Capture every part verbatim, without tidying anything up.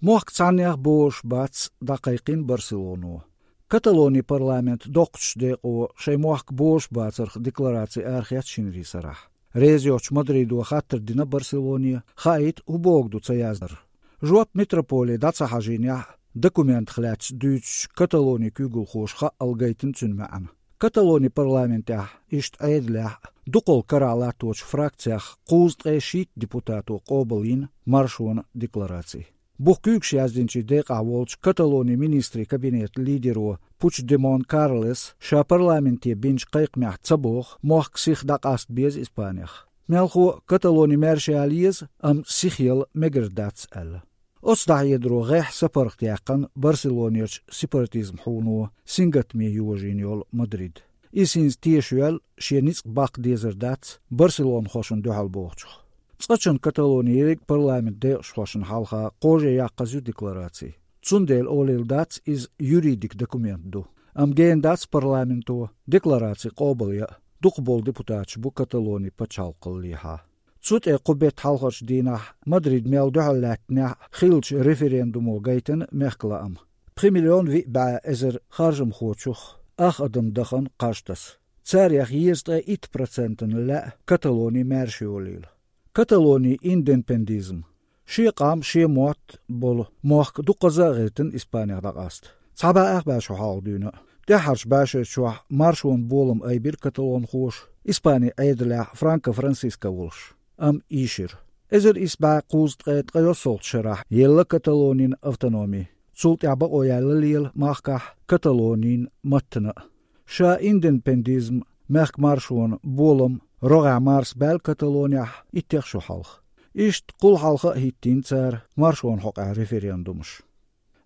Мохк цхьаннех бозуш бац, дӀакхайкхина Барселоно. Каталони парламент доккхачу декъо шайн мохк бозуш бацарх деклараци арахецна шинарин сарахь. Реза йоцчу Мадридо хаттар дина Барселоне, хаийта, хӀун бохург ду ца яздинарг. Жоп метрополе дӀа ца хьажийнехь, документах лаьцна дуьйцучу Каталони куьйгалхоша хаъал гайтина цуьнан маьӀна. Каталони парламентехь, иштта Ӏедалехь, дукхах карахь латточу фракцех кхузткъе шийтта депутато къобалйина маршонан деклараци. Бух куьйгаш яздинчийн декъахь волчу Каталони министрийн кабинетан лидеро Пучдемон Карлос ша парламенте бинчу кхайкхамехь ца боху, мохк сиха дӀакъаста беза Испанех. Мелхо а Каталони маьрша яла еза, амма сиха яла мегар дац аьлла. Оцу дӀахьедаро гӀеххьа сапаргӀатаяьккхина Барселонерчу сепаратизм хьуно, сингаттаме йожийна йолу Мадрид. Иза хӀинца тешайоьлла, шен ницкъ баккха дезар дац барселонхошна дуьхьал бохучух. Цкъачунна Каталони ерриг парламентан декъашхошна хьалха кхаже яккхаза ю деклараци. Цундела олийла дац, иза юридик документ ду. Амма гена дац парламенто деклараци къобалъян а, дукхахболу депутаташ бу Каталони пачхьалкхаллехьа. Цу тӀе кху беттан хьалхарчу дийнахь Мадрид мел дуьхьал лаьттинехь а хиллачу референдумо гайтина мехкан лаам. Пхи миллион виъ бӀе эзар харжамхочух, ах адаман дахана кхаж таса. Царех езткъе итт процентана лаьа Каталони маьрша йолийла. Каталонин индепендизм. Шен къам, шен мотт болу мохк дуккхаза а гӀиртина Испанех дӀакъаста. Цхьа бӀе ах бӀе шо хьалха дуьйна а. ТӀаьххьарчу бӀешерчохь маршонан болам айбира каталонхоша, Испанин Ӏедалехь Франко-Франсиско волуш. Амма ийшира. Эзар исс бӀе кхузткъе ткъайоьссалгӀачу шарахь елла Каталонин автономи. Цул тӀаьхьа бакъо яьлла лела махкахь Каталонин маттана а. Ша индепендизм, мехкан маршонан болам рогӀехь марсабаьлла Каталонехь иттех шо хьалха. Иштта кхул хьалха а хӀиттийна цара маршонан хьокъехь референдумаш.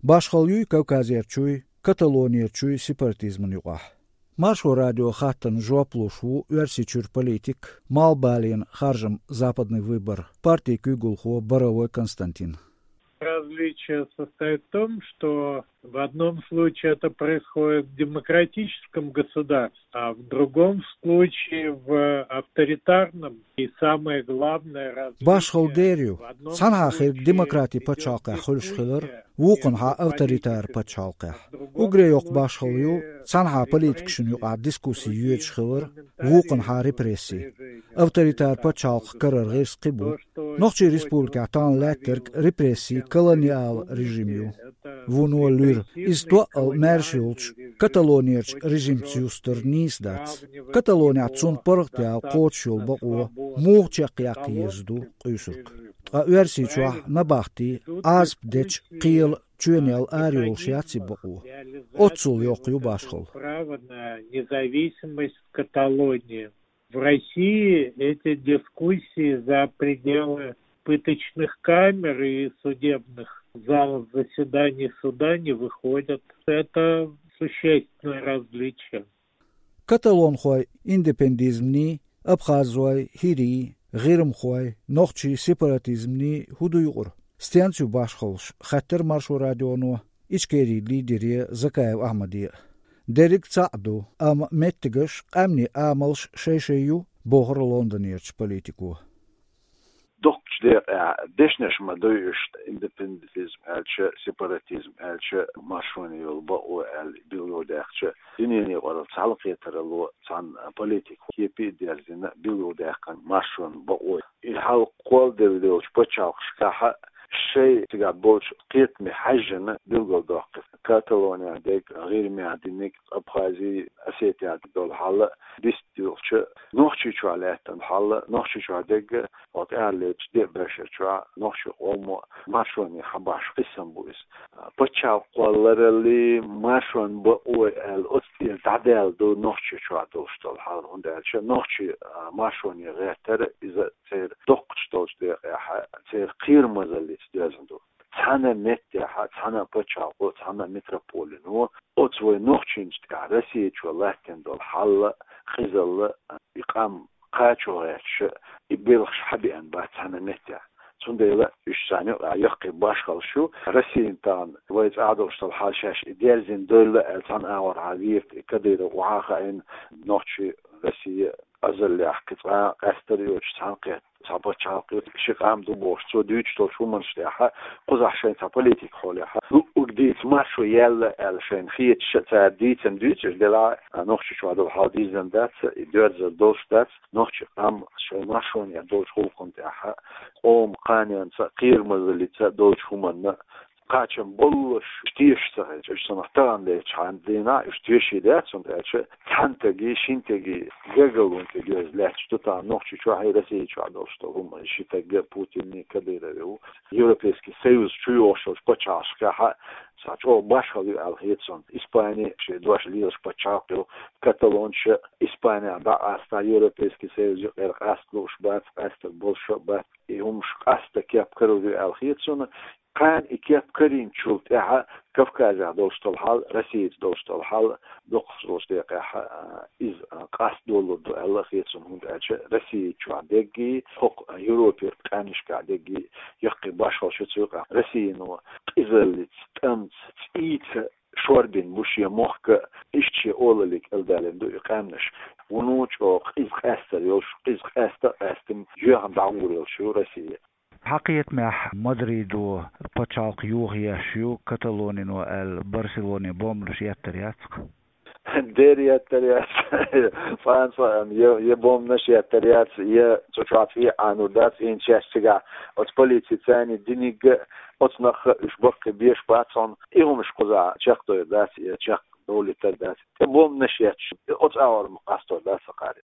Башхалла юй Кавказерчуй, Каталонерчуй сепаратизман юкъахь? Маршо радион хаттарна жоп луш ву Оьрсийчуьра политик, Малхбален харжам «Западный выбор» партин куьйгалхо Боровой Константин. Различие состоит в том, что в одном случае это происходит в демократическом государстве, а в другом случае в авторитарном. И самое главное различие... Башхалла дера ю. Цхьанхьа хирг демократи пачхьалкхехь хуьлуш хилар, вукхунхьа авторитар пачхьалкхехь. Уггаре йоккха башхалла ю, цхьанхьа политикашна юкъахь дискусси йоьдуш хилар, вукхунхьа репресси. Авторитар пачхьалкх карара гӀирс кхин бу. Нохчийн республикехь тахана лаьттарг репресси, колониал режим ю. Вуно луьра, иза тоъал маьрша йолчу Каталонерчу режимца юстар нийса дац. Каталонехь цунна паргӀатъяла кхочуш йолу бакъо муха чекхъяккха еза ду къуьйсург. Ткъа Оьрсийчохь набахти, Ӏазап дечу кхелан чоьнел арайолуш яц и бакъо. Оццул йоккха ю башхалла. Право на независимость в Каталонии. В России эти дискуссии за пределы пыточных камер и судебных залов заседаний суда не выходят. Это существенное различие. Каталонхойн индепендизмний, абхазойн, хӀирийн, гӀирмахойн, нохчийн сепаратизмний хӀун ду юкъара? Стенца ю башхаллаш, хаьттира Маршо радионо Ичкерин лидере Закаев Ахьмаде а. Дерриг цхьаъ ду, амма меттигаш, къаьмнийн амалш шай-шай ю, бохура Лондонерчу политико. Доккхачу декъехь дешнаш ма дуй уьш, индепендентизм аьлча, сепаратизм аьлча, маршоне йолу бакъо аьлла билгалдаьккхича, дуьненан юкъаралла цхьалкхетаралло цхьана политикан кепе а дерзийна билгалдаьккхина маршонан бакъо. И хьал кхолладелла долчу пачхьалкхашкахь шайн цигахь болчу кхетаме хьаьжжина билгалдоккху. Каталонехь дерг, ГӀирмехь диниг, Абхази, Осетехь долу хьал а, дистхилча, Нохчийчохь лаьттина хьал а, Нохчийчохь дерг а, хьо тӀаьхьарлечу деа бешар чохь нохчийн къомо маршоне хьабахьаш къийсам бу иза. Пачхьалкх кхоллараллий, маршонан бакъой аьлла, оцу тӀера дӀадаьлла ду Нохчийчохь долуш долу хьал, хӀунда аьлча нохчий, а, маршоне гӀертара иза церан доккхачу долчу декъехь, церан кхерамазаллица доьзна ду. Цхьана меттехь, цхьана пачхьалкхо, цхьана метрополино оцу вай нохчийнчу тӀехь Российчо латтина долу хьал а, къизалла а, и къам кхачо гӀерташ а, и белхаш хьабеана бац цхьана меттехь. Цундела уьш царна юкъахь яккхий башхаллаш ю. Россияна тахана вай цӀахь долуш долу хьал шаьш и дерзийна дойла аьлла, цхьана агӀор хьан вийрта и Кадыров охьа а хаийна, нохчий, Россия Азаллехь кхин цкъа къаьстар йоцуш цхьаьнакхетта цхьа пачхьалкх ю, ши къам ду бохуш, цо дуьйцуш долчу хӀуманаш тӀехь, кхузахь шайн цхьа политика хьолехь, луъург дийца маршо яьлла аьлла шайна хеташ а цара дийцина дуьйцуш, делахь а Нохчийчохь долу хьал дийзина дац, и доьрзар долуш дац, нохчий къам шайн маршонехь долчу гӀуллакхна тӀехь, къоман кханенца, кхерамазаллица долчу хӀуманна кхачам боллуш, тешаш ца хилча, уьш санна тахана лелачхьана дийнахь уьш теший дац, хӀунда аьлча цхьана стаге, шина стаге гаргалонан тӀе доьзна лаьтташ ду тахана Нохчийчохь а, Российчохь а долуш долу хӀума. Ши стаг Путинний, Кадыровий ву. Европейский Союз чу йогӀуш йолчу пачхьалкхашкахь а цхьа чӀогӀа башхалла ю аьлла хета суна. Испани шен дош лелаш пачхьалкх ю, каталонаш а Испанехь дӀакъаста, Европейский Союз юкъара къаста лууш бац, къаьстар болуш а бац. И хӀумаш къаста кеп карор ю аьлла хета суна. Кхана и кеп карийначул тӀаьхьа Кавказехь долуш долу хьал, Россица долуш долу хьал, дукхахболчу декъехь, а, иза, а, къаста долур ду аьлла хета суна, хӀунда аьлча Россия чохь дерриге, хӀокху Европера къаьмнашкахь дерриге яккхий башхалла ю цу юкъахь. Россино къизаллица, тӀамца, цӀийца шорбина бу шен мохк, иштта шен олалле кӀелдалийна ду и къаьмнаш. Вуно чӀогӀа къиза къаьстар йолуш, къиза къаьста а къаьстина, жоьхна дӀагӀур йолуш ю Россия. Хьан кхетамехь Мадридо пачхьалкх йохаеш ю Каталонино аьлла Барселоне бомбанаш еттар яц-кх? Дера еттар яц. Цкъа а, цкъа а, я, я бомбанаш еттар яц, я цу чохь цӀий а Ӏанур дац, хӀинца шаьш цигахь оцу полици царна диниг а, оцу нахах а уьш баккхий беш бац хьуна. И хӀумаш кхузахь чекхдойр дац, я чекхдовлийтар дац. ТӀе бомбанаш етташ, оцу агӀор ма къастор дац, сан кхари.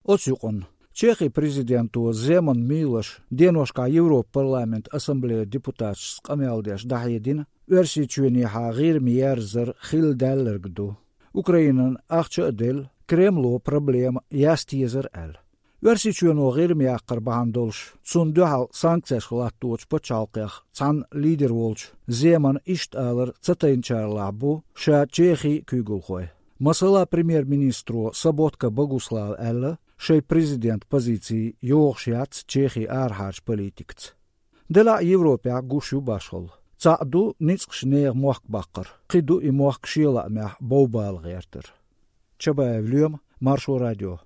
Оцу юкъанна Чехин президенто Земан Милоша деношкахь Европан парламентан ассамблеян депутаташца къамел деш дӀахьедина, Оьрсийчоьнехьа ГӀирма ерзар хилла даьлларг ду. Украинана ахча а делла, Кремло проблема яста езара аьлла. Оьрсийчоьно ГӀирма яккхар бахьана долуш, цунна дуьхьал санкцеш латточу пачхьалкхех цхьанна лидер волчу Земана иштта алар ца тайначарлахь бу ша Чехин куьйгалхой. Масала, премьер-министро Соботка Богуслава аьлла, шайн президентан позици йогӀуш яц Чехин арахьарчу политикаца. Делахь а Европехь гуш ю башхалла. Цхьаъ ду ницкъаш нехан мохк баккхар, кхин ду и мохк шен лаамехь бовбала гӀертар. Чабаев Лоьма, Маршо радио.